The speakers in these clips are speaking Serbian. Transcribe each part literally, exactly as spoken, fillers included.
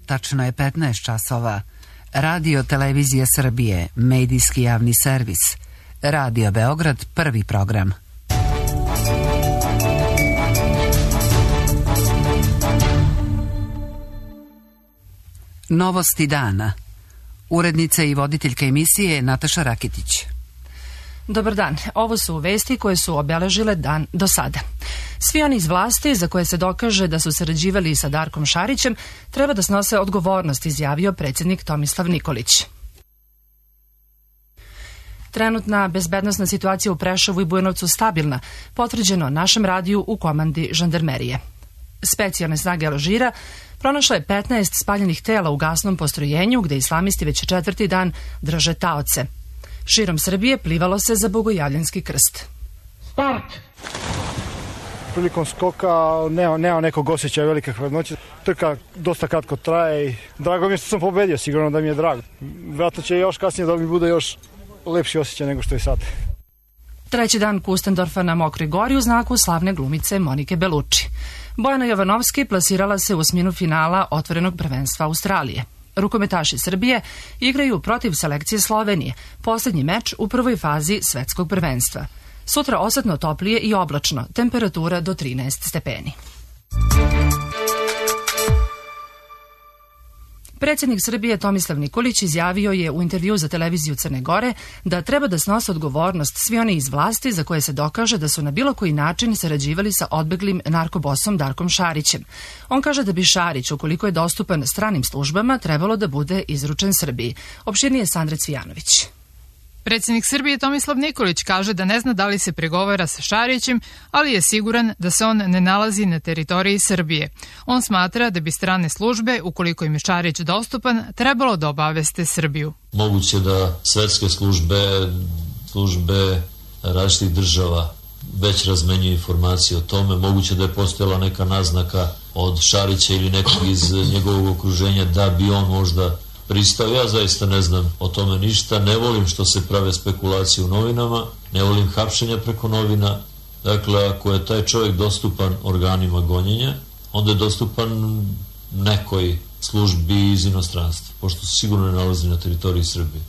Tačno je petnaest časova. Radio Televizija Srbije, medijski javni servis. Radio Beograd, prvi program. Novosti dana. Urednica i voditeljka emisije Nataša Rakitić. Dobar dan, ovo su vesti koje su obeležile dan do sada. Svi oni iz vlasti za koje se dokaže da su sarađivali sa Darkom Šarićem treba da snose odgovornost, izjavio predsjednik Tomislav Nikolić. Trenutna bezbednosna situacija u Preševu i Bujanovcu stabilna, potvrđeno našem radiju u komandi žandarmerije. Specijalne snage Alžira pronašle je petnaest spaljenih tela u gasnom postrojenju gde islamisti već četvrti dan drže taoce. Širom Srbije plivalo se za Bogojavljanski krst. Start! Prilikom skoka nema, nema nekog osjećaja velike hladnoće. Trka dosta kratko traje i drago mi je što sam pobedio, sigurno da mi je drago. Vjerojatno će još kasnije da mi bude još lepši osjećaj nego što je sad. Treći dan Kustendorfa na Mokroj gori u znaku slavne glumice Monike Belucci. Bojana Jovanovski plasirala se u osminu finala otvorenog prvenstva Australije. Rukometaši Srbije igraju protiv selekcije Slovenije, posljednji meč u prvoj fazi svetskog prvenstva. Sutra osetno toplije i oblačno, temperatura do trinaest stepeni. Predsjednik Srbije Tomislav Nikolić izjavio je u intervju za televiziju Crne Gore da treba da snose odgovornost svi oni iz vlasti za koje se dokaže da su na bilo koji način sarađivali sa odbeglim narkobosom Darkom Šarićem. On kaže da bi Šarić, ukoliko je dostupan stranim službama, trebalo da bude izručen Srbiji. Opširnije Sandra Cvijanović. Predsjednik Srbije Tomislav Nikolić kaže da ne zna da li se pregovara sa Šarićem, ali je siguran da se on ne nalazi na teritoriji Srbije. On smatra da bi strane službe, ukoliko im je Šarić dostupan, trebalo da obaveste Srbiju. Moguće da svetske službe, službe različitih država već razmenjuju informacije o tome. Moguće da je postojala neka naznaka od Šarića ili nekog iz njegovog okruženja da bi on možda pristao. Ja zaista ne znam o tome ništa, ne volim što se prave spekulacije u novinama, ne volim hapšenja preko novina. Dakle, ako je taj čovjek dostupan organima gonjenja, onda je dostupan nekoj službi iz inostranstva, pošto se sigurno ne nalazi na teritoriji Srbije.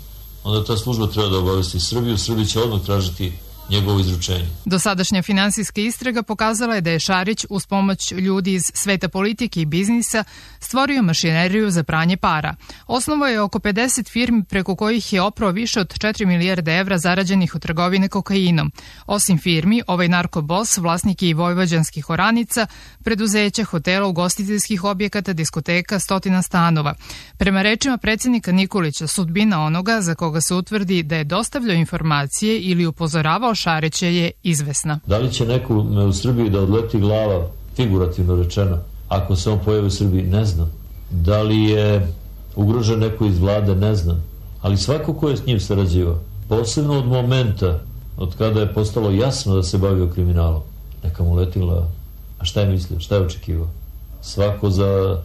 Onda ta služba treba da obavesti Srbiju, Srbija će odmah tražiti njegovo izručenje. Dosadašnja finansijska istraga pokazala je da je Šarić uz pomoć ljudi iz sveta politike i biznisa stvorio mašineriju za pranje para. Osnovao je oko pedeset firmi preko kojih je oprao više od četiri milijarde evra zarađenih od trgovine kokainom. Osim firmi, ovaj narkobos vlasnik je i vojvođanskih oranica, preduzeća, hotela, ugostiteljskih objekata, diskoteka, stotina stanova. Prema rečima predsjednika Nikolića, sudbina onoga za koga se utvrdi da je dostavljao informacije ili upozoravao Šarića je izvesna. Da li će nekome u Srbiji da odleti glava, figurativno rečeno, ako se on pojavi u Srbiji, ne znam. Da li je ugrožen neko iz vlade, ne znam. Ali svako ko je s njim sarađivao, posebno od momenta od kada je postalo jasno da se bavio kriminalom, neka mu leti glava. A šta je mislio, šta je očekivao? Svako za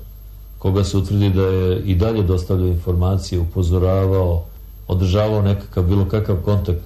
koga se utvrdi da je i dalje dostavljao informacije, upozoravao, održavao nekakav, bilo kakav kontakt,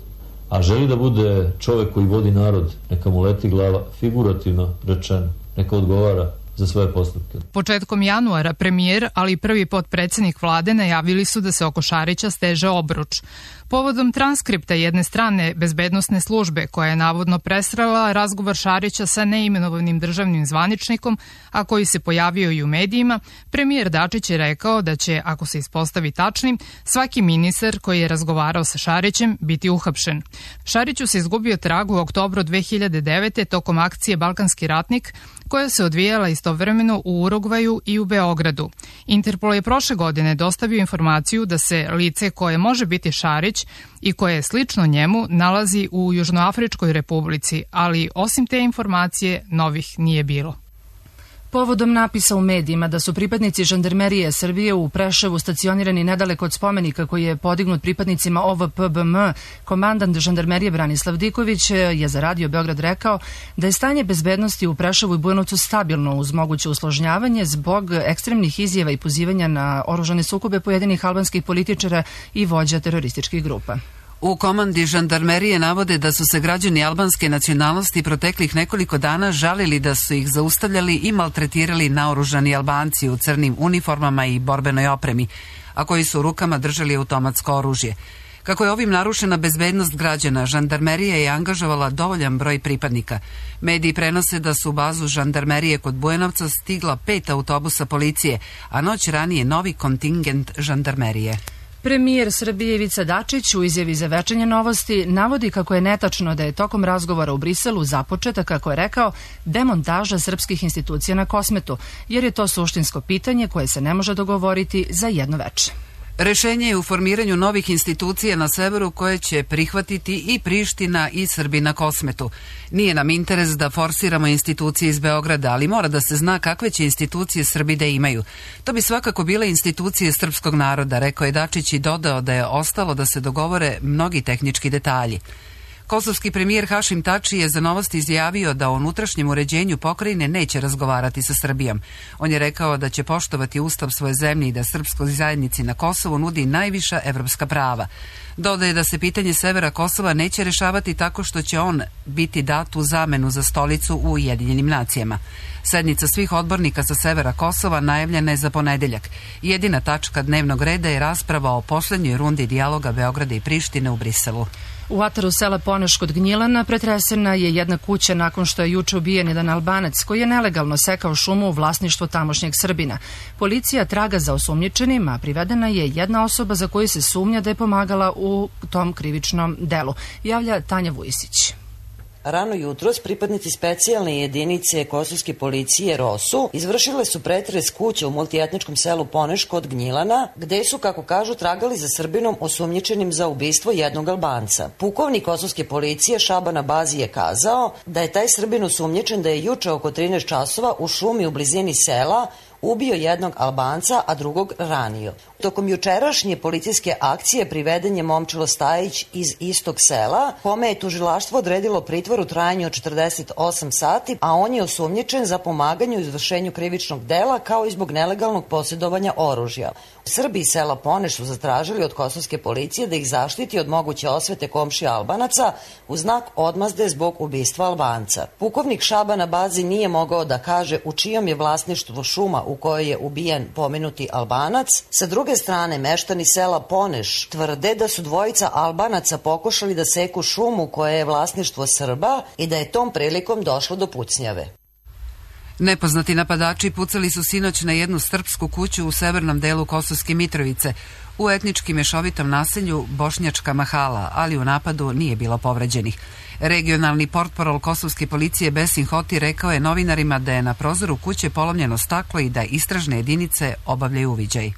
a želi da bude čovjek koji vodi narod, neka mu leti glava, figurativno rečeno, neka odgovara za svoje postupke. Početkom januara premijer, ali i prvi potpredsjednik vlade najavili su da se oko Šarića steže obruč. Povodom transkripta jedne strane bezbednosne službe koja je navodno presrela razgovor Šarića sa neimenovanim državnim zvaničnikom, a koji se pojavio i u medijima, premijer Dačić je rekao da će, ako se ispostavi tačnim, svaki ministar koji je razgovarao sa Šarićem biti uhapšen. Šariću se izgubio trag u oktobru dve hiljade devete. tokom akcije Balkanski ratnik, koja se odvijala istovremeno u Urugvaju i u Beogradu. Interpol je prošle godine dostavio informaciju da se lice koje može biti Šarić i koje je slično njemu nalazi u Južnoafričkoj republici, ali osim te informacije novih nije bilo. Povodom napisa u medijima da su pripadnici žandarmerije Srbije u Preševu stacionirani nedaleko od spomenika koji je podignut pripadnicima O V P B M, komandant žandarmerije Branislav Diković je za Radio Beograd rekao da je stanje bezbednosti u Preševu i Bujanovcu stabilno uz moguće usložnjavanje zbog ekstremnih izjava i pozivanja na oružane sukobe pojedinih albanskih političara i vođa terorističkih grupa. U komandi žandarmerije navode da su se građani albanske nacionalnosti proteklih nekoliko dana žalili da su ih zaustavljali i maltretirali naoružani Albanci u crnim uniformama i borbenoj opremi, a koji su u rukama držali automatsko oružje. Kako je ovim narušena bezbednost građana, žandarmerija je angažovala dovoljan broj pripadnika. Mediji prenose da su u bazu žandarmerije kod Bujanovca stigla pet autobusa policije, a noć ranije novi kontingent žandarmerije. Premijer Srbije Ivica Dačić u izjavi za Večernje novosti navodi kako je netačno da je tokom razgovora u Briselu započeta, kako je rekao, demontaža srpskih institucija na Kosmetu, jer je to suštinsko pitanje koje se ne može dogovoriti za jedno veče. Rešenje je u formiranju novih institucija na severu koje će prihvatiti i Priština i Srbi na Kosmetu. Nije nam interes da forsiramo institucije iz Beograda, ali mora da se zna kakve će institucije Srbi da imaju. To bi svakako bile institucije srpskog naroda, rekao je Dačić i dodao da je ostalo da se dogovore mnogi tehnički detalji. Kosovski premijer Hašim Tači je za Novosti izjavio da o unutrašnjem uređenju pokrajine neće razgovarati sa Srbijom. On je rekao da će poštovati ustav svoje zemlje i da srpskoj zajednici na Kosovu nudi najviša evropska prava. Dodaje da se pitanje severa Kosova neće rešavati tako što će on biti dat u zamenu za stolicu u Ujedinjenim nacijama. Sednica svih odbornika sa severa Kosova najavljena je za ponedeljak. Jedina tačka dnevnog reda je rasprava o poslednjoj rundi dijaloga Beograda i Prištine u Briselu. U ataru sela Poneš kod Gnjilana pretresena je jedna kuća nakon što je juče ubijen jedan Albanac koji je nelegalno sekao šumu u vlasništvu tamošnjeg Srbina. Policija traga za osumnjičenim, a privedena je jedna osoba za koju se sumnja da je pomagala u tom krivičnom delu, javlja Tanja Vujisić. Rano jutros pripadnici specijalne jedinice kosovske policije ROSU izvršile su pretres kuće u multietničkom selu Poneš kod Gnjilana, gde su, kako kažu, tragali za Srbinom osumnjičenim za ubistvo jednog Albanca. Pukovnik kosovske policije Šaban Abazi je kazao da je taj Srbin osumnjičen da je juče oko trinaest časova u šumi u blizini sela ubio jednog Albanca, a drugog ranio. Tokom jučerašnje policijske akcije priveden je Momčilo Stajić iz istog sela, kome je tužilaštvo odredilo pritvor u trajanju od četrdeset osam sati, a on je osumnjičen za pomaganje u izvršenju krivičnog dela kao i zbog nelegalnog posjedovanja oružja. Srbi iz sela Poneš su zatražili od kosovske policije da ih zaštiti od moguće osvete komšija Albanaca u znak odmazde zbog ubistva Albanca. Pukovnik Šaban Abazi nije mogao da kaže u čijom je vlasništvu šuma u kojoj je ubijen pomenuti Albanac. Sa druge strane, meštani sela Poneš tvrde da su dvojica Albanaca pokušali da seku šumu koja je vlasništvo Srba i da je tom prilikom došlo do pucnjave. Nepoznati napadači pucali su sinoć na jednu srpsku kuću u severnom delu Kosovske Mitrovice, u etnički mešovitom naselju Bošnjačka Mahala, ali u napadu nije bilo povređenih. Regionalni portparol kosovske policije Besin Hoti rekao je novinarima da je na prozoru kuće polomljeno staklo i da istražne jedinice obavljaju uviđaj.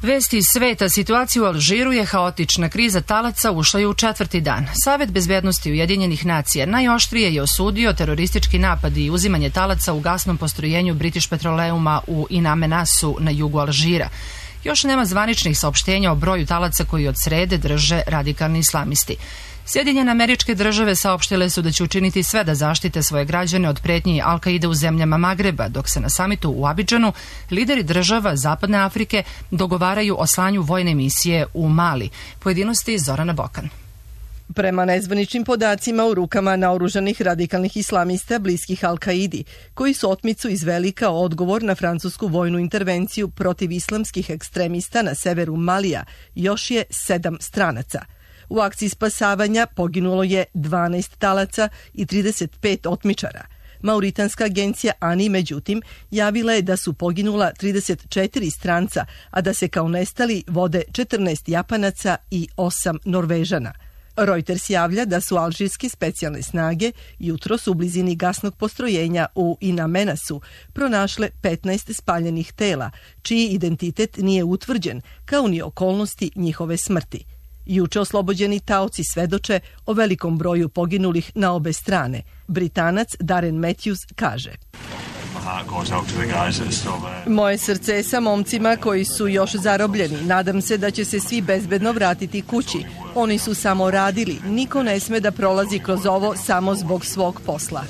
Vesti iz sveta, situacija u Alžiru je haotična, kriza talaca ušla je u četvrti dan. Savet bezbednosti Ujedinjenih nacija najoštrije je osudio teroristički napad i uzimanje talaca u gasnom postrojenju British Petroleuma u In Amenasu na jugu Alžira. Još nema zvaničnih saopštenja o broju talaca koji od srede drže radikalni islamisti. Sjedinjene Američke Države saopštile su da će učiniti sve da zaštite svoje građane od pretnji Al-Kaide u zemljama Magreba, dok se na samitu u Abidžanu lideri država Zapadne Afrike dogovaraju o slanju vojne misije u Mali. Pojedinosti Zorana Bokan. Prema nezvaničnim podacima u rukama naoružanih radikalnih islamista bliskih Al-Kaidi, koji su otmicu izveli kao odgovor na francusku vojnu intervenciju protiv islamskih ekstremista na severu Malija, još je sedam stranaca. U akciji spasavanja poginulo je dvanaest talaca i trideset pet otmičara. Mauritanska agencija ANI, međutim, javila je da su poginula trideset četiri stranca, a da se kao nestali vode četrnaest Japanaca i osam Norvežana. Reuters javlja da su alžirske specijalne snage jutros u blizini gasnog postrojenja u In Amenasu pronašle petnaest spaljenih tela, čiji identitet nije utvrđen, kao ni okolnosti njihove smrti. Juče oslobođeni taoci svedoče o velikom broju poginulih na obe strane. Britanac Darren Matthews kaže: Moje srce je sa momcima koji su još zarobljeni. Nadam se da će se svi bezbedno vratiti kući. Oni su samo radili. Niko ne sme da prolazi kroz ovo samo zbog svog posla.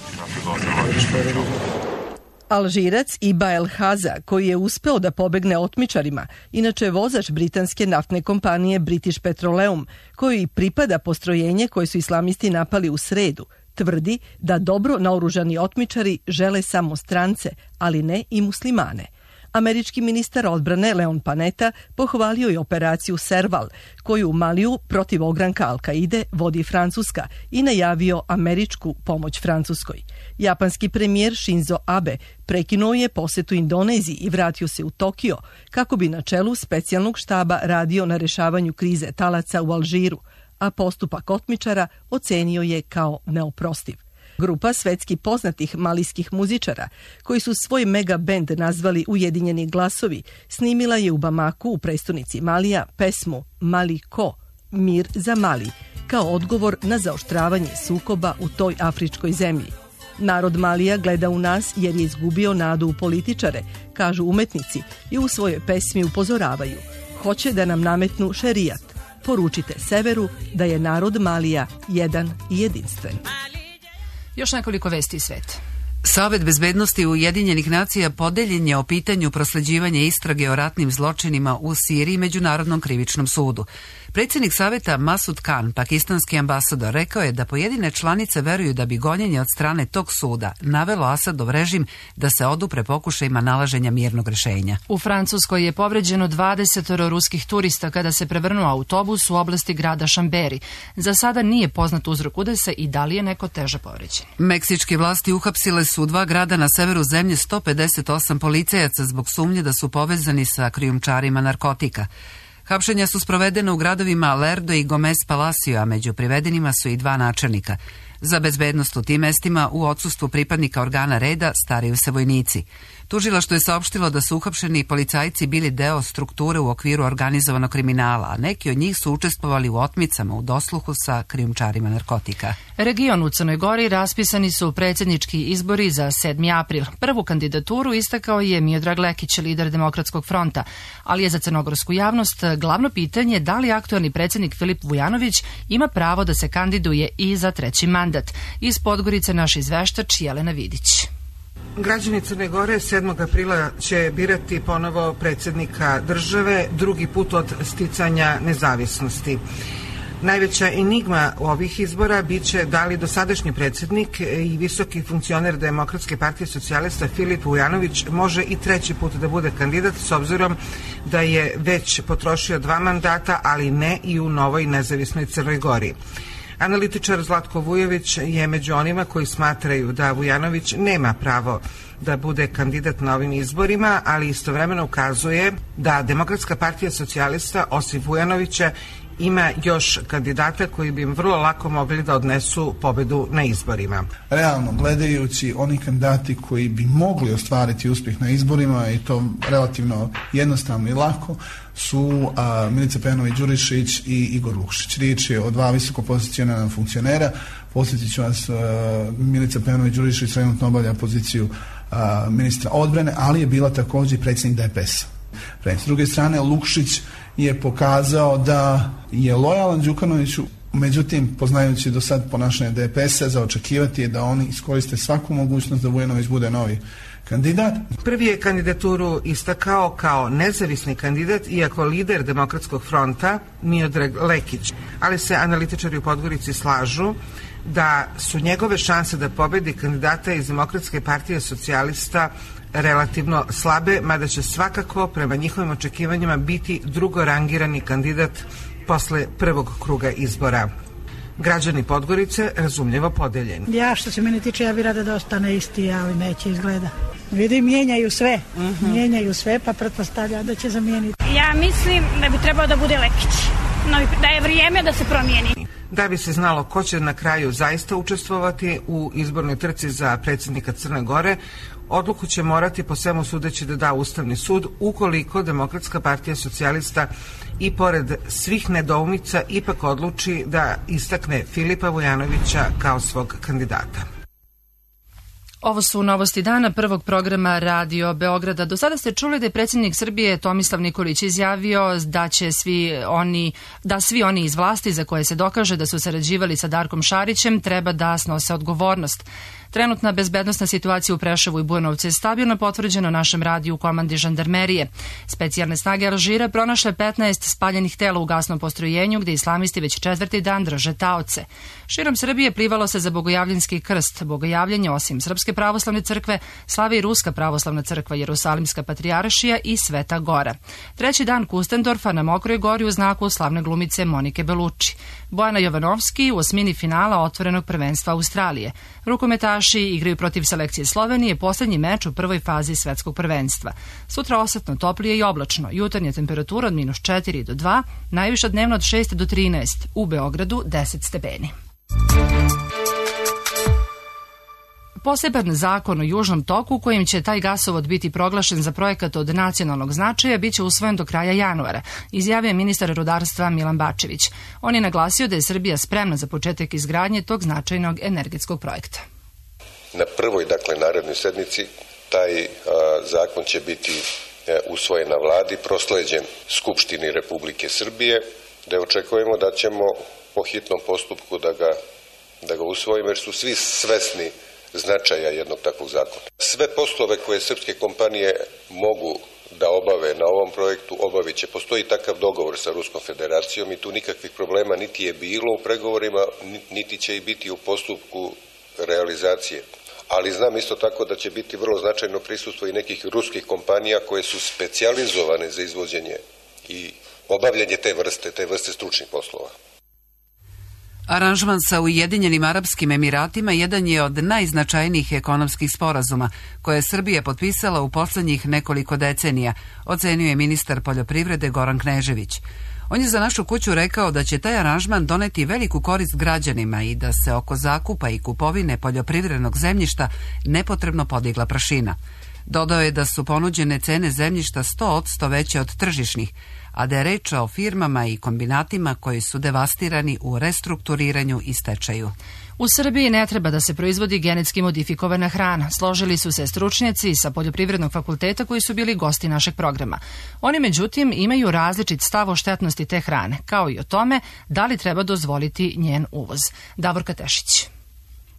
Alžirac Iba El Haza, koji je uspeo da pobegne otmičarima, inače vozač britanske naftne kompanije British Petroleum, koji pripada postrojenje koje su islamisti napali u sredu, tvrdi da dobro naoružani otmičari žele samo strance, ali ne i muslimane. Američki ministar odbrane Leon Panetta pohvalio je operaciju Serval, koju u Maliju protiv ogranka Al-Kaide vodi Francuska i najavio američku pomoć Francuskoj. Japanski premijer Shinzo Abe prekinuo je posetu Indoneziji i vratio se u Tokio kako bi na čelu specijalnog štaba radio na rešavanju krize talaca u Alžiru, a postupak otmičara ocenio je kao neoprostiv. Grupa svetski poznatih malijskih muzičara, koji su svoj mega bend nazvali Ujedinjeni glasovi, snimila je u Bamaku, u prestonici Malija, pesmu Mali Ko, Mir za Mali, kao odgovor na zaoštravanje sukoba u toj afričkoj zemlji. Narod Malija gleda u nas jer je izgubio nadu u političare, kažu umetnici i u svojoj pesmi upozoravaju. Hoće da nam nametnu šerijat. Poručite severu da je narod Malija jedan i jedinstven. Još nekoliko vesti iz sveta. Savet bezbednosti Ujedinjenih nacija podeljen je o pitanju prosleđivanja istrage o ratnim zločinima u Siriji Međunarodnom krivičnom sudu. Predsjednik saveta Masud Khan, pakistanski ambasador, rekao je da pojedine članice veruju da bi gonjenje od strane tog suda navelo Asadov režim da se odupre pokušajima nalaženja mirnog rešenja. U Francuskoj je povređeno dvadeset ruskih turista kada se prevrnuo autobus u oblasti grada Šamberi. Za sada nije poznat uzrok udesa i da li je neko teže povređen. Meksičke vlasti uhapsile su u dva grada na severu zemlje sto pedeset osam policajaca zbog sumnje da su povezani sa krijumčarima narkotika. Hapšenja su sprovedena u gradovima Lerdo i Gomez Palacio, a među privedenima su i dva načelnika. Za bezbednost u tim mestima u odsustvu pripadnika organa reda staraju se vojnici. Tužilaštvo je saopštilo da su uhapšeni policajci bili deo strukture u okviru organizovanog kriminala, a neki od njih su učestvovali u otmicama u dosluhu sa krijumčarima narkotika. Region u Crnoj Gori raspisani su predsjednički izbori za sedmi april. Prvu kandidaturu istakao je Miodrag Lekić, lider Demokratskog fronta, ali je za crnogorsku javnost glavno pitanje da li aktualni predsjednik Filip Vujanović ima pravo da se kandiduje i za treći mandat. Iz Podgorice naš izveštač Jelena Vidić. Građani Crne Gore sedmog aprila će birati ponovo predsjednika države, drugi put od sticanja nezavisnosti. Najveća enigma ovih izbora biće da li dosadašnji predsjednik i visoki funkcioner Demokratske partije socijalista Filip Vujanović može i treći put da bude kandidat, s obzirom da je već potrošio dva mandata, ali ne i u novoj nezavisnoj Crnoj Gori. Analitičar Zlatko Vujović je među onima koji smatraju da Vujanović nema pravo da bude kandidat na ovim izborima, ali istovremeno ukazuje da Demokratska partija socijalista, osim Vujanovića, ima još kandidata koji bi im vrlo lako mogli da odnesu pobedu na izborima. Realno gledajući, oni kandidati koji bi mogli ostvariti uspjeh na izborima i to relativno jednostavno i lako su a, Milica Pejanović-Đurišić i Igor Lukšić. Riječ je o dva visoko pozicionirana funkcionera. Posjetit ću vas, a, Milica Pejanović-Đurišić trenutno obavlja poziciju a, ministra odbrane, ali je bila također i predsjednik D P S-a. S druge strane, Lukšić je pokazao da je lojalan Đukanoviću, međutim, poznajući do sad ponašanje D P S-a, za očekivati je da oni iskoriste svaku mogućnost da Vujanović bude novi kandidat. Prvi je kandidaturu istakao kao nezavisni kandidat, iako lider Demokratskog fronta Miodrag Lekić, ali se analitičari u Podgorici slažu da su njegove šanse da pobedi kandidata iz Demokratske partije socijalista relativno slabe, mada će svakako prema njihovim očekivanjima biti drugorangirani kandidat posle prvog kruga izbora. Građani Podgorice razumljivo podeljeni. Ja što se mene tiče, ja bih rada da ostane isti, ali neće izgleda. Vidim, mijenjaju sve, uh-huh. mijenjaju sve, pa pretpostavlja da će zamijeniti. Ja mislim da bi trebao da bude Lekić, no, da je vrijeme da se promijeni. Da bi se znalo ko će na kraju zaista učestvovati u izbornoj trci za predsjednika Crne Gore, odluku će morati po svemu sudeći da da Ustavni sud, ukoliko Demokratska partija socijalista i pored svih nedoumica ipak odluči da istakne Filipa Vujanovića kao svog kandidata. Ovo su novosti dana prvog programa Radio Beograda. Do sada ste čuli da je predsjednik Srbije Tomislav Nikolić izjavio da će svi oni, da svi oni iz vlasti za koje se dokaže da su sarađivali sa Darkom Šarićem treba da snose odgovornost. Trenutna bezbednosna situacija u Preševu i Bujanovcu je stabilno potvrđena našem radiju u komandi žandarmerije. Specijalne snage Alžira pronašle petnaest spaljenih tela u gasnom postrojenju gde islamisti već četvrti dan drže taoce. Širom Srbije plivalo se za Bogojavljanski krst. Bogojavljanje osim Srpske pravoslavne crkve slavi i Ruska pravoslavna crkva, Jerusalimska patrijaršija i Sveta Gora. Treći dan Kustendorfa na Mokroj Gori u znaku slavne glumice Monike Belucci. Bojana Jovanovski u osmini finala otvorenog prvenstva Australije. Rukometaši igraju protiv selekcije Slovenije, poslednji meč u prvoj fazi svetskog prvenstva. Sutra osetno toplije i oblačno. Jutarnja temperatura od minus četiri do dva, najviša dnevno od šest do trinaest, u Beogradu deset stepeni. Poseban zakon o Južnom toku kojim će taj gasovod biti proglašen za projekat od nacionalnog značaja biće usvojen do kraja januara, izjavio ministar rudarstva Milan Bačević. On je naglasio da je Srbija spremna za početak izgradnje tog značajnog energetskog projekta. Na prvoj, dakle, narednoj sednici taj a, zakon će biti e, usvojen na vladi, prosleđen Skupštini Republike Srbije, da očekujemo da ćemo po hitnom postupku da ga, da ga usvojimo, jer su svi svesni značaja jednog takvog zakona. Sve poslove koje srpske kompanije mogu da obave na ovom projektu obavit će. Postoji takav dogovor sa Ruskom federacijom i tu nikakvih problema niti je bilo u pregovorima, niti će i biti u postupku realizacije. Ali znam isto tako da će biti vrlo značajno prisustvo i nekih ruskih kompanija koje su specijalizovane za izvođenje i obavljanje te vrste, te vrste stručnih poslova. Aranžman sa Ujedinjenim Arapskim Emiratima jedan je od najznačajnijih ekonomskih sporazuma koje je Srbija potpisala u poslednjih nekoliko decenija, ocenio je ministar poljoprivrede Goran Knežević. On je za našu kuću rekao da će taj aranžman doneti veliku korist građanima i da se oko zakupa i kupovine poljoprivrednog zemljišta nepotrebno podigla prašina. Dodao je da su ponuđene cene zemljišta sto posto veće od tržišnih, a da je reč o firmama i kombinatima koji su devastirani u restrukturiranju i stečaju. U Srbiji ne treba da se proizvodi genetski modifikovana hrana. Složili su se stručnjaci sa Poljoprivrednog fakulteta koji su bili gosti našeg programa. Oni, međutim, imaju različit stav o štetnosti te hrane, kao i o tome da li treba dozvoliti njen uvoz. Davorka Tešić.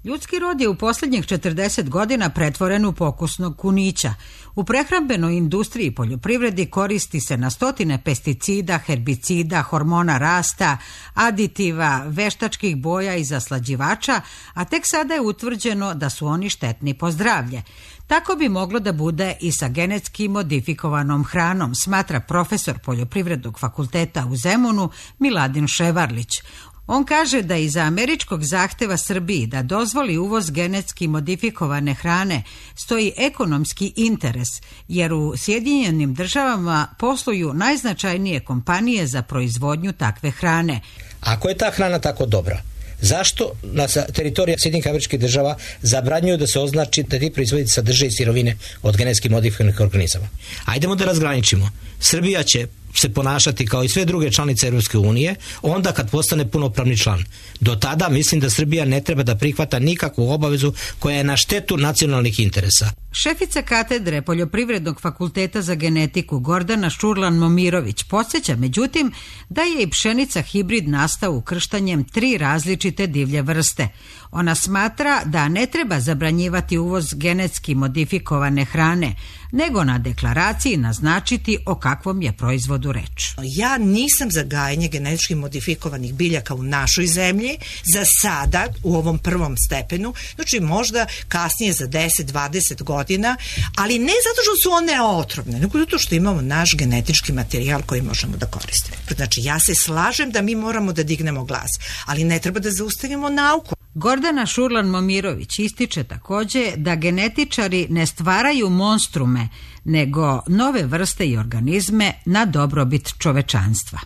Ljudski rod je u posljednjih četrdeset godina pretvoren u pokusnog kunića. U prehrambenoj industriji i poljoprivredi koristi se na stotine pesticida, herbicida, hormona rasta, aditiva, veštačkih boja i zaslađivača, a tek sada je utvrđeno da su oni štetni po zdravlje. Tako bi moglo da bude i sa genetski modifikovanom hranom, smatra profesor Poljoprivrednog fakulteta u Zemunu Miladin Ševarlić. On kaže da iza američkog zahteva Srbiji da dozvoli uvoz genetski modifikovane hrane stoji ekonomski interes, jer u Sjedinjenim državama posluju najznačajnije kompanije za proizvodnju takve hrane. Ako je ta hrana tako dobra, zašto na teritoriji Sjedinjenih Američkih Država zabranjuju da se označi da ti proizvodi sadrže i sirovine od genetski modifikovanih organizama? Ajdemo da razgraničimo. Srbija će se ponašati kao i sve druge članice Europske unije onda kad postane punopravni član. Do tada mislim da Srbija ne treba da prihvata nikakvu obavezu koja je na štetu nacionalnih interesa. Šefica katedre Poljoprivrednog fakulteta za genetiku Gordana Šurlan-Momirović podsjeća, međutim, da je i pšenica hibrid nastao ukrštanjem tri različite divlje vrste. Ona smatra da ne treba zabranjivati uvoz genetski modifikovane hrane, nego na deklaraciji naznačiti o kakvom je proizvodu reč. Ja nisam za gajenje genetički modifikovanih biljaka u našoj zemlji, za sada, u ovom prvom stepenu, znači možda kasnije za deset do dvadeset godina, ali ne zato što su one otrovne, nego zato što imamo naš genetički materijal koji možemo da koristimo. Znači, ja se slažem da mi moramo da dignemo glas, ali ne treba da zaustavimo nauku. Gordana Šurlan-Momirović ističe takođe da genetičari ne stvaraju monstrume, nego nove vrste i organizme na dobrobit čovečanstva.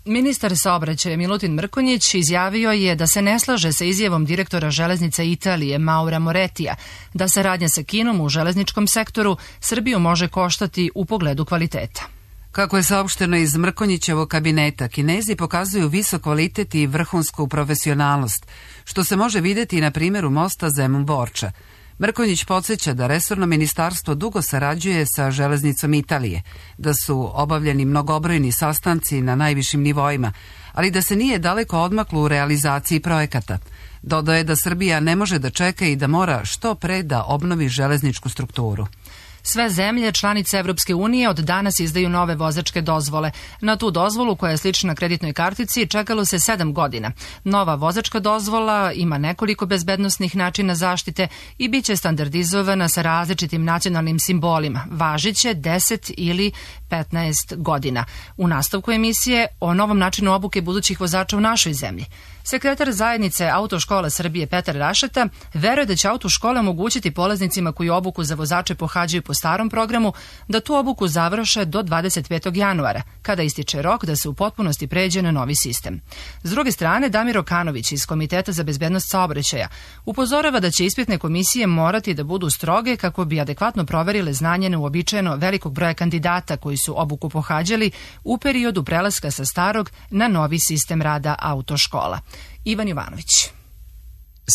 Ministar saobraćaja Milutin Mrkonjić izjavio je da se ne slaže sa izjavom direktora železnica Italije Maura Moretija da saradnja sa Kinom u železničkom sektoru Srbiju može koštati u pogledu kvaliteta. Kako je saopšteno iz Mrkonjićevog kabineta, Kinezi pokazuju visok kvalitet i vrhunsku profesionalnost, što se može videti na primjeru mosta Zemun-Borča. Mrkonjić podsjeća da resorno ministarstvo dugo sarađuje sa Železnicom Italije, da su obavljeni mnogobrojni sastanci na najvišim nivoima, ali da se nije daleko odmaklo u realizaciji projekata. Dodao je da Srbija ne može da čeka i da mora što pre da obnovi železničku strukturu. Sve zemlje, članice Evropske unije, od danas izdaju nove vozačke dozvole. Na tu dozvolu, koja je slična kreditnoj kartici, čekalo se sedam godina. Nova vozačka dozvola ima nekoliko bezbednosnih načina zaštite i bit će standardizovana sa različitim nacionalnim simbolima. Važiće deset ili petnaest godina. U nastavku emisije o novom načinu obuke budućih vozača u našoj zemlji. Sekretar zajednice Autoškola Srbije Petar Rašeta veruje da će autoškole omogućiti polaznicima koji obuku za vozače pohađaju po starom programu da tu obuku završe do dvadeset petog januara, kada ističe rok da se u potpunosti pređe na novi sistem. S druge strane, Damir Okanović iz Komiteta za bezbednost saobraćaja upozorava da će ispitne komisije morati da budu stroge kako bi adekvatno proverile znanje neuobičajeno velikog broja kandidata koji su obuku pohađali u periodu prelaska sa starog na novi sistem rada autoškola. Ivan Jovanović.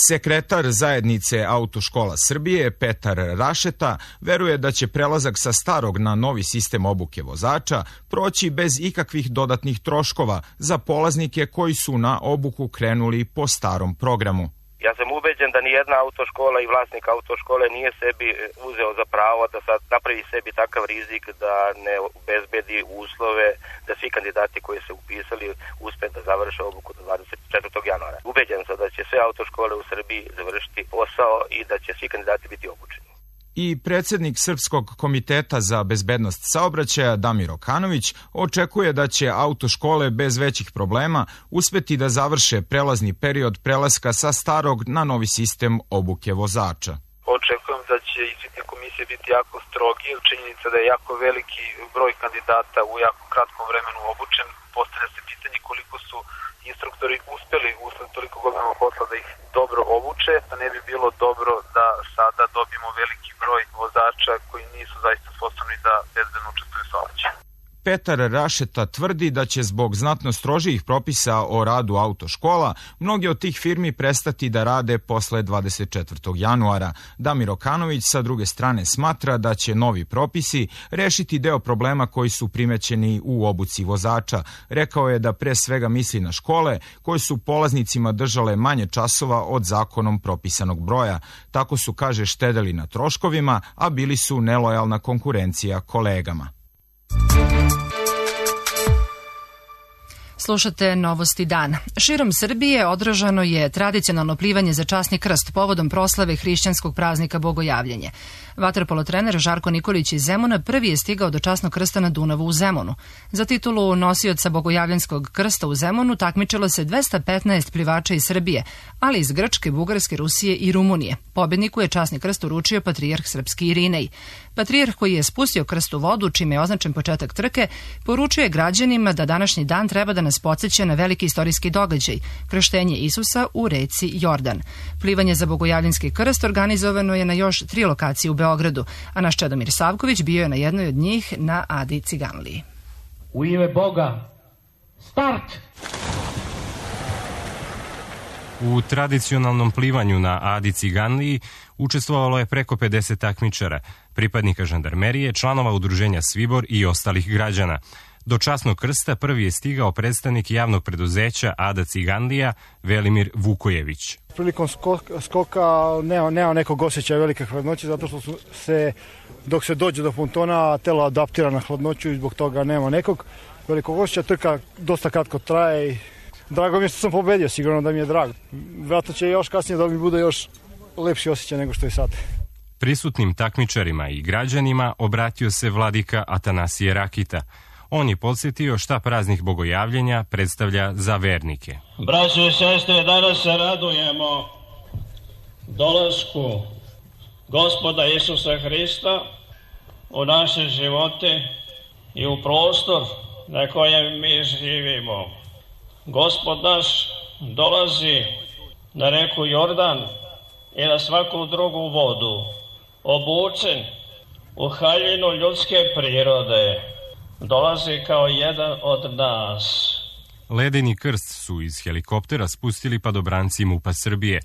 Sekretar zajednice Autoškola Srbije Petar Rašeta veruje da će prelazak sa starog na novi sistem obuke vozača proći bez ikakvih dodatnih troškova za polaznike koji su na obuku krenuli po starom programu. Ja sam ubeđen da nijedna autoškola i vlasnik autoškole nije sebi uzeo za pravo da sad napravi sebi takav rizik da ne obezbedi uslove da svi kandidati koji se upisali uspe da završe obuku do dvadeset četvrtog januara. Ubeđen sam da će sve autoškole u Srbiji završiti posao i da će svi kandidati biti obučeni. I predsjednik Srpskog komiteta za bezbednost saobraćaja Damir Okanović očekuje da će autoškole bez većih problema uspeti da završe prelazni period prelaska sa starog na novi sistem obuke vozača. Očekujem da će ispitne komisije biti jako strogi, činjenica da je jako veliki broj kandidata u jako kratkom vremenu obučen. Postavlja se pitanje koliko su instruktori uspeli usled toliko godina posla da ih dobro obuče, da ne bi bilo dobro da sada dobijemo veliki broj vozača koji nisu zaista sposobni da bezbedno učestvuju u saobraćaju. Petar Rašeta tvrdi da će zbog znatno strožijih propisa o radu autoškola mnogi od tih firmi prestati da rade posle dvadeset četvrtog januara. Damir Okanović sa druge strane smatra da će novi propisi rešiti deo problema koji su primećeni u obuci vozača. Rekao je da pre svega misli na škole koje su polaznicima držale manje časova od zakonom propisanog broja. Tako su, kaže, štedeli na troškovima, a bili su nelojalna konkurencija kolegama. Slušate Novosti dana. Širom Srbije održano je tradicionalno plivanje za časni krst povodom proslave hrišćanskog praznika Bogojavljenje. Vaterpolo trener Žarko Nikolić iz Zemuna prvi je stigao do časnog krsta na Dunavu u Zemunu. Za titulu nosioca Bogojavljanskog krsta u Zemunu takmičilo se dvesta petnaest plivača iz Srbije, ali iz Grčke, Bugarske, Rusije i Rumunije. Pobedniku je časni krst uručio patrijarh srpski Irinej. Patrijarh, koji je spustio krst u vodu, čime je označen početak trke, poručuje građanima da današnji dan treba da nas podsjeća na veliki istorijski događaj, krštenje Isusa u reci Jordan. Plivanje za Bogojavljanski krst organizovano je na još tri lokacije u Beogradu, a naš Čedomir Savković bio je na jednoj od njih na Adi Ciganliji. U ime Boga, start! U tradicionalnom plivanju na Adi Ciganliji učestvovalo je preko pedeset takmičara, pripadnika žandarmerije, članova udruženja Svibor i ostalih građana. Do časnog krsta prvi je stigao predstavnik javnog preduzeća Ada Ciganlija, Velimir Vukojević. Prilikom skoka, skoka nema, nema nekog osjećaja velike hladnoće, zato što su se, dok se dođe do pontona, telo adaptira na hladnoću i zbog toga nema nekog velikog osjećaja. Trka dosta kratko traje i drago mi je što sam pobedio, sigurno da mi je drago. Vjerojatno će još kasnije da mi bude još lepši osjećaj nego što je sad. Prisutnim takmičarima i građanima obratio se vladika Atanasije Rakita. On je podsjetio šta praznik Bogojavljenja predstavlja za vernike. Braćo i sestre, danas se radujemo dolasku Gospoda Isusa Hrista u naše živote i u prostor na kojem mi živimo. Gospod naš dolazi na reku Jordan i na svaku drugu vodu, obučen u haljinu ljudske prirode. Dolazi kao jedan od nas. Ledeni krst su iz helikoptera spustili padobranci MUP-a Srbije.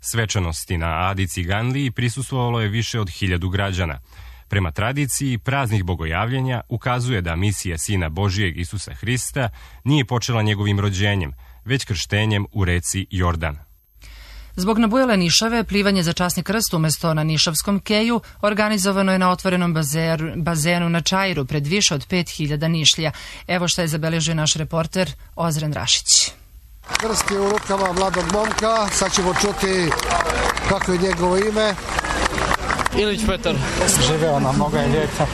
Svečanosti na Adi Ciganliji prisustvovalo je više od hiljadu građana. Prema tradiciji, praznih bogojavljenja ukazuje da misija Sina Božijeg Isusa Hrista nije počela njegovim rođenjem, već krštenjem u reci Jordan. Zbog nabujale nišave, plivanje za časni krst umesto na nišavskom keju organizovano je na otvorenom bazeru, bazenu na Čairu pred više od pet hiljada nišlja. Evo šta je zabeležio naš reporter Ozren Rašić. Krst je u rukama mladog momka, sad ćemo čuti kako je njegovo ime. Ilić Petar. Živeo nam, mnogo je lijepo.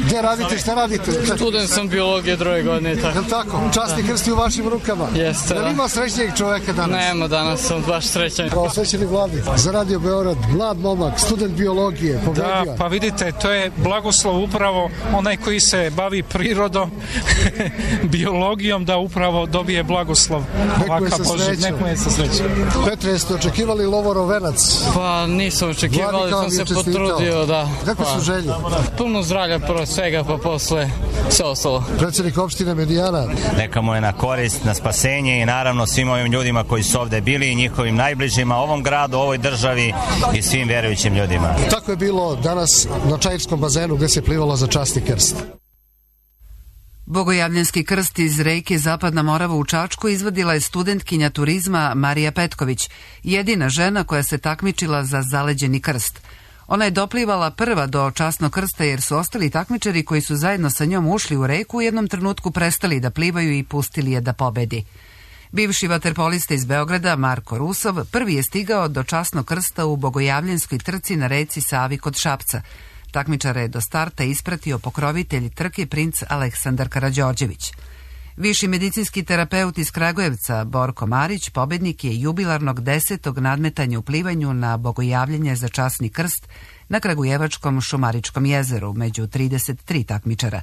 Gdje radite, šta radite? Student sam biologije druge godine. Je li tako? Časni krst je u vašim rukama? Jeste. Da li ima srećnijeg čoveka danas? Nema, danas sam baš srećan. Prosvećeni Vladi, za Radio Beograd, mlad momak, student biologije, pobedio. Da, pa vidite, to je blagoslov upravo onaj koji se bavi prirodom, biologijom, da upravo dobije blagoslov. Neko je sa srećom. Neko je sa srećom. Petre, jeste očekivali Lovorov venac? Pa nisam očekivali, sam se potrudio, da. Kako pa, su želje? Puno zdravlja prvo svega, pa posle sve ostalo. Predsjednik opštine Medijana. Neka mu je na korist, na spasenje i naravno svim ovim ljudima koji su ovde bili i njihovim najbližima, ovom gradu, ovoj državi i svim verujućim ljudima. Tako je bilo danas na Čairskom bazenu gdje se plivalo za časni krst. Bogojavljanski krst iz reke Zapadna Morava u Čačku izvadila je studentkinja turizma Marija Petković, jedina žena koja se takmičila za zaleđeni krst. Ona je doplivala prva do časnog krsta jer su ostali takmičari koji su zajedno sa njom ušli u reku u jednom trenutku prestali da plivaju i pustili je da pobedi. Bivši vaterpolista iz Beograda Marko Rusov prvi je stigao do časnog krsta u Bogojavljanskoj trci na reci Savi kod Šapca. Takmičara je do starta ispratio pokrovitelj trke princ Aleksandar Karađorđević. Viši medicinski terapeut iz Kragujevca Borko Marić pobednik je jubilarnog desetog nadmetanja u plivanju na bogojavljenje za časni krst na Kragujevačkom Šumaričkom jezeru među trideset tri takmičara.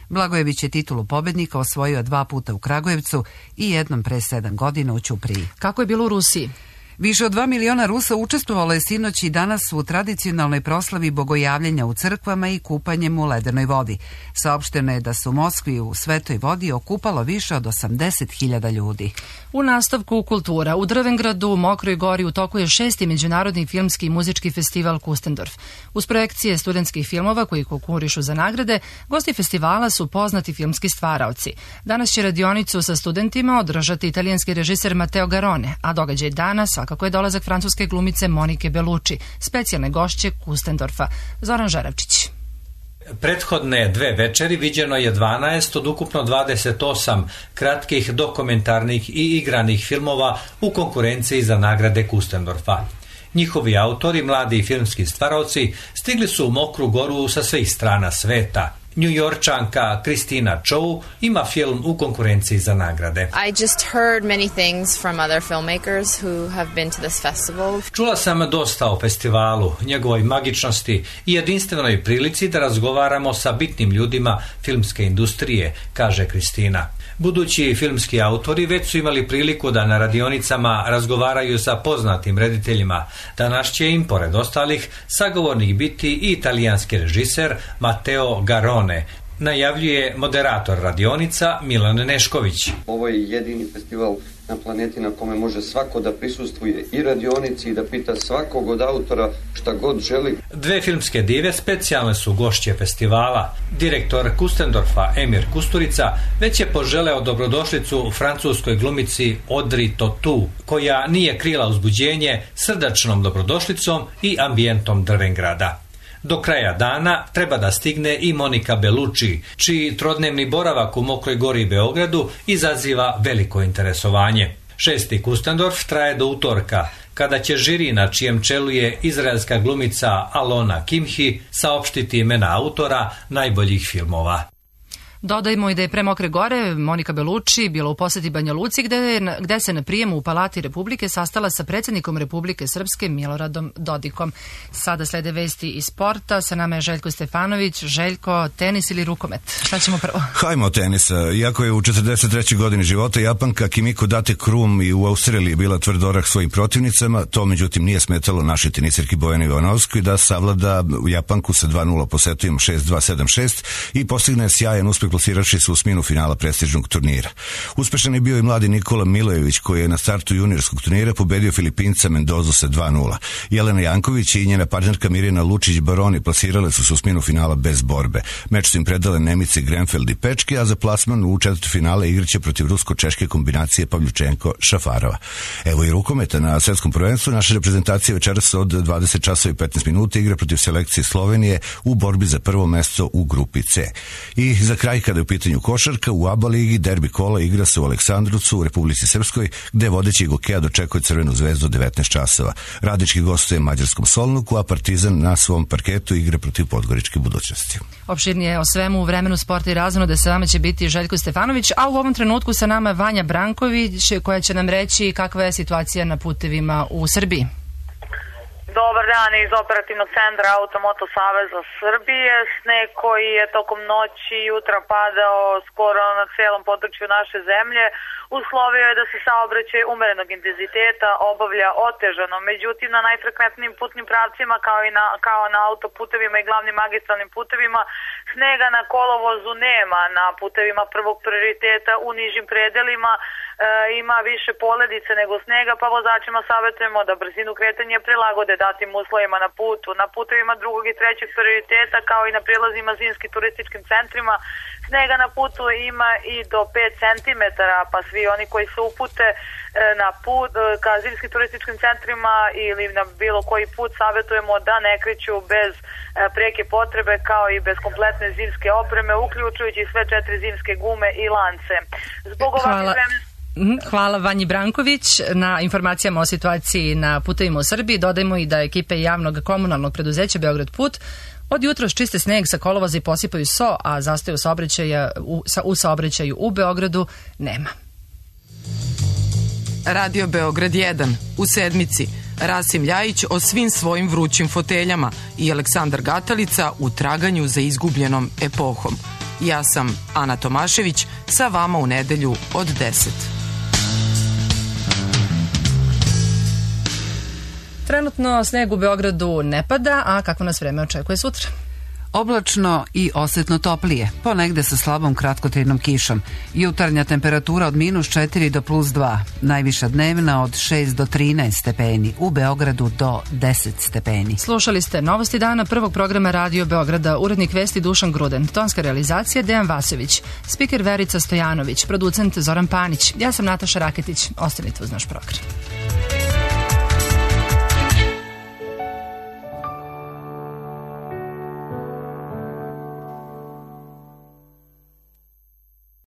Blagojević je titulu pobednika osvojio dva puta u Kragujevcu i jednom pre sedam godina u Ćupriji. Kako je bilo u Rusiji? Više od dva miliona Rusa učestvovalo je sinoć i danas u tradicionalnoj proslavi bogojavljenja u crkvama i kupanjem u ledenoj vodi. Saopšteno je da su u Moskvi u svetoj vodi okupalo više od osamdeset hiljada ljudi. U nastavku kultura, u Drvengradu, u Mokroj Gori, u toku je šesti međunarodni filmski i muzički festival Kustendorf. Uz projekcije studentskih filmova koji konkurišu za nagrade, gosti festivala su poznati filmski stvaraoci. Danas će radionicu sa studentima održati italijanski režiser Matteo Garone, a događaj dana svakako je dolazak francuske glumice Monike Bellucci, specijalne gošće Kustendorfa. Zoran Žaravčić. Prethodne dve večeri viđeno je dvanaest od ukupno dvadeset osam kratkih dokumentarnih i igranih filmova u konkurenciji za nagrade Kustendorfa. Njihovi autori, mladi filmski stvaraoci, stigli su u Mokru Goru sa svih strana sveta. Njujorčanka Kristina Chow ima film u konkurenciji za nagrade. I just heard many things from other filmmakers who have been to this festival. Čula sam dosta o festivalu, njegovoj magičnosti i jedinstvenoj prilici da razgovaramo sa bitnim ljudima filmske industrije, kaže Kristina. Budući filmski autori već su imali priliku da na radionicama razgovaraju sa poznatim rediteljima. Danas će im, pored ostalih, sagovornik biti i italijanski režiser Matteo Garone, najavljuje moderator radionica Milan Nešković. Ovo je jedini festival na planeti na kome može svako da prisustvuje i radionici i da pita svakog od autora šta god želi. Dve filmske dive specijalne su gošće festivala. Direktor Kustendorfa Emir Kusturica već je poželeo dobrodošlicu francuskoj glumici Audrey Tautou, koja nije krila uzbuđenje srdačnom dobrodošlicom i ambijentom Drvengrada. Do kraja dana treba da stigne i Monika Bellucci, čiji trodnevni boravak u Mokroj Gori i Beogradu izaziva veliko interesovanje. Šesti Kustendorf traje do utorka, kada će žiri na čijem čelu je izraelska glumica Alona Kimhi saopštiti imena autora najboljih filmova. Dodajmo i da je pre Mokre Gore Monika Bellucci bila u poseti Banja Luci gde, gde se na prijemu u Palati Republike sastala sa predsjednikom Republike Srpske Miloradom Dodikom. Sada slede vesti iz sporta, sa nama je Željko Stefanović. Željko, tenis ili rukomet? Šta ćemo prvo? Hajmo tenisa. Iako je u četrdeset trećoj godini života Japanka Kimiko Date Krum i u Australiji bila tvrd orah svojim protivnicama, to međutim nije smetalo našoj tenisirki Bojani Ivanovskoj da savlada Japanku sa dva nula po setovima šest dva sedam šest i postigne sjajan uspjeh plasiraši se u osminu finala prestižnog turnira. Uspešan je bio i mladi Nikola Milojević koji je na startu juniorskog turnira pobedio Filipinca Mendozu sa dva nula. Jelena Janković i njena partnerka Mirjana Lučić-Baroni plasirale su se u osminu finala bez borbe. Meč su im predale Nemice Grenfeld i Pečki, a za plasman u četvrtfinale igraće protiv rusko-češke kombinacije Pavljučenko-Šafarova. Evo i rukometa na svetskom prvenstvu. Naša reprezentacija večeras od dvadeset časova i petnaest minuta igra protiv selekcije Slovenije u borbi za prvo mesto u grupi C. I za kraj, kada je u pitanju košarka, u A B A ligi derbi kola igra se u Aleksandrovcu u Republici Srpskoj, gde vodeći Gokeja dočekuje Crvenu zvezdu devetnaest časova. Radnički gostuje mađarskom Solnuku, a Partizan na svom parketu igra protiv Podgoričke Budućnosti. Opširnije o svemu u vremenu sporta i razonode sa vama će biti Željko Stefanović, a u ovom trenutku sa nama je Vanja Branković koja će nam reći kakva je situacija na putevima u Srbiji. Dobar dan iz operativnog centra Automoto Saveza Srbije. Sneg koji je tokom noći i jutra padao skoro na celom području naše zemlje uslovio je da se saobraćaj umerenog intenziteta obavlja otežano. Međutim, na najfrekventnijim putnim pravcima kao i na, kao na autoputevima i glavnim magistralnim putevima snega na kolovozu nema. Na putevima prvog prioriteta u nižim predelima e, ima više poledice nego snega, pa vozačima savjetujemo da brzinu kretanja prilagode datim uslovima na putu. Na putevima drugog i trećeg prioriteta kao i na prilazima zimskim turističkim centrima snega na putu ima i do pet centimetara, pa svi oni koji se upute na put ka zimskim turističkim centrima ili na bilo koji put savjetujemo da ne kreću bez preke potrebe kao i bez kompletne zimske opreme, uključujući sve četiri zimske gume i lance. Zbog ovakvih vremenskih Hvala Vanji Branković na informacijama o situaciji na putevima u Srbiji. Dodajmo i da ekipe javnog komunalnog preduzeća Beograd Put od jutros čiste sneg sa kolovoza i posipaju so, a zastoju saobraćaja u, sa, u saobraćaju u Beogradu nema. Radio Beograd jedan. U sedmici Rasim Ljajić o svim svojim vrućim foteljama i Aleksandar Gatalica u traganju za izgubljenom epohom. Ja sam Ana Tomašević, sa vama u nedelju od deset. Trenutno sneg u Beogradu ne pada, a kako nas vreme očekuje sutra? Oblačno i osetno toplije, ponegde sa slabom kratkotrajnom kišom. Jutarnja temperatura od minus četiri do plus dva, najviša dnevna od šest do trinaest stepeni, u Beogradu do deset stepeni. Slušali ste Novosti dana prvog programa Radio Beograda, urednik vesti Dušan Gruden, tonska realizacija Dejan Vasović, spiker Verica Stojanović, producent Zoran Panić, ja sam Nataša Raketić, ostanite uz naš program.